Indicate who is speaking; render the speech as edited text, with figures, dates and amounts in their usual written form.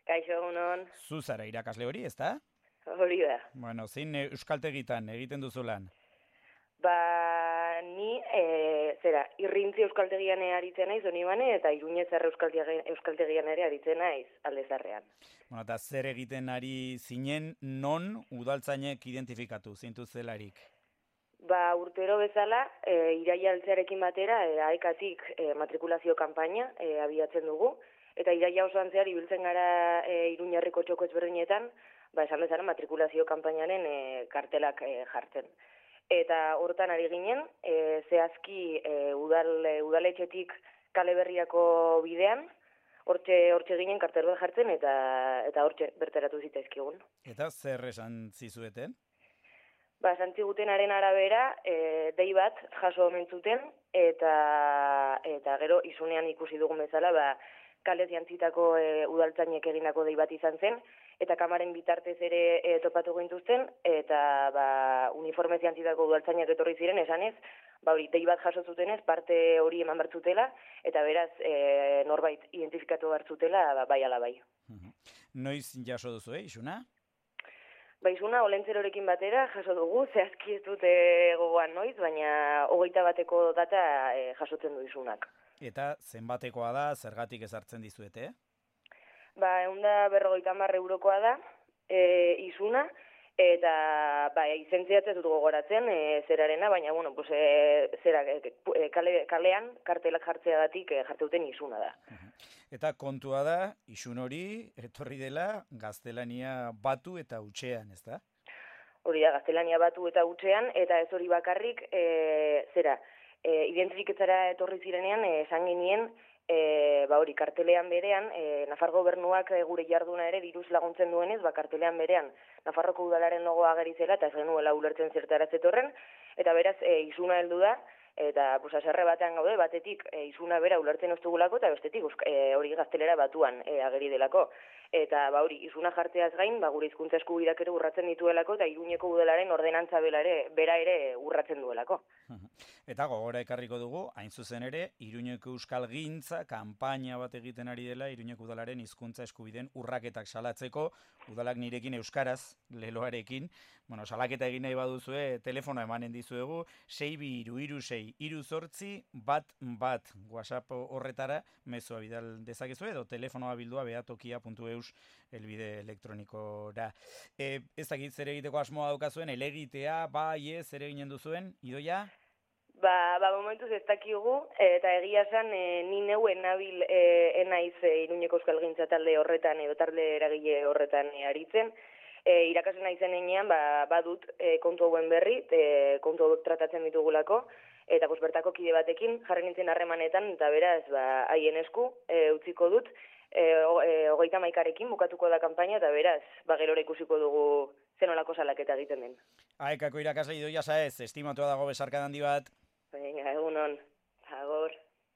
Speaker 1: Kaixo egunon,
Speaker 2: Zu zara irakasle hori, ezta?
Speaker 1: hori da.
Speaker 2: Bueno, zein euskaltegitan egiten duzu lan?
Speaker 1: Ni, irrintzi euskaltegian aritzen naiz, Donibane, eta Iruñezarre euskaltegian ere aritzen naiz, Aldezarrean.
Speaker 2: Bueno, eta zer egiten ari zinen non udaltzainek identifikatu zintu zelarik?
Speaker 1: Urtero bezala, iraia altzearekin batera, aekatik matrikulazio kanpaina abiatzen dugu, eta iraia osoan zehar ibiltzen gara Iruñerriko txoko ezberdinetan, esan bezala matrikulazio kanpainaren kartelak jartzen. Eta hortan ari ginen, zehazki udaletxetik Kale Berriako bidean, hortxe ginen kartel bat jartzen eta hortxe bertaratu zitzaizkigun.
Speaker 2: Eta zer esan zizueten?
Speaker 1: Esan zigutenaren arabera, dei bat jaso omen zuten, eta gero isunean ikusi dugun bezala, kalez jantzitako udaltzainek egindako dei bat izan zen, eta kamaren bitartez ere topatu gintuzten, eta uniformez jantzitako udaltzainak etorri ziren, esanez, dei bat jaso zutenez, parte hori eman bertzutela, eta beraz norbait identifikatu bertzutela, bai ala bai.
Speaker 2: Noiz jaso duzu, isuna?
Speaker 1: Isuna, olentzerorekin batera jaso dugu, zehazki ez dute gogoan noiz, baina 21 data jasotzen du isunak.
Speaker 2: Eta zenbatekoa da, zergatik ezartzen dizuete?
Speaker 1: 150 eurokoa da isuna, eta izentziat ez dut gogoratzen zerarena, baina, kalean kartelak jartzeagatik jartzeuten isuna da.
Speaker 2: Eta kontua da, isun hori etorri dela gaztelania batu eta hutsean, ez da?
Speaker 1: Hori da, gaztelania batu eta hutsean, eta ez hori bakarrik, identifikatzera etorri zirenean, esan genien, kartelean berean, Nafar gobernuak gure jarduna ere diruz laguntzen duenez, kartelean berean Nafarroko udalaren logoa ageri zela, eta ez genuela ulertzen zertara zetorren, eta beraz, isuna heldu da, eta haserre batean gaude, batetik isuna bera ulertzen ez dugulako, eta bestetik hori gaztelera batuan ageri delako. Eta isuna jartzeaz gain, gure hizkuntza eskubideak ere urratzen dituelako, eta Iruñeko udalaren ordenantza bera ere urratzen duelako.
Speaker 2: Eta gogora ekarriko dugu, hain zuzen ere, Iruñeko Euskalgintza kanpaina bat egiten ari dela Iruñeko udalaren hizkuntza eskubideen urraketak salatzeko, udalak nirekin euskaraz, leloarekin, salaketa egin nahi baduzue, telefono emanen dizuegu, 6236308 WhatsApp horretara, mezua bidal dezakezu edo telefonoa bildua behatokia.eus elbide elektronikora. Ez dakit zer egiteko asmoa daukazuen, elegitea, ez ere ginen duzuen, Idoia?
Speaker 1: Momentuz ez dakigu, eta egia esan ni neuen nabil enaiz Iruñeko Euskalgintza talde horretan edo talde eragile horretan aritzen. Irakasle naizen enean, badut kontu hauen berri, kontu hauek tratatzen ditugulako, eta bertako kide batekin jarri nintzen harremanetan, eta beraz, haien esku utziko dut, 31 bukatuko da kanpaina, eta beraz, gerora ikusiko dugu zenolako salaketa egiten den.
Speaker 2: Aekako irakasle Idoia Saez, estimatua dago besarka handi bat.
Speaker 1: Venga, egunon.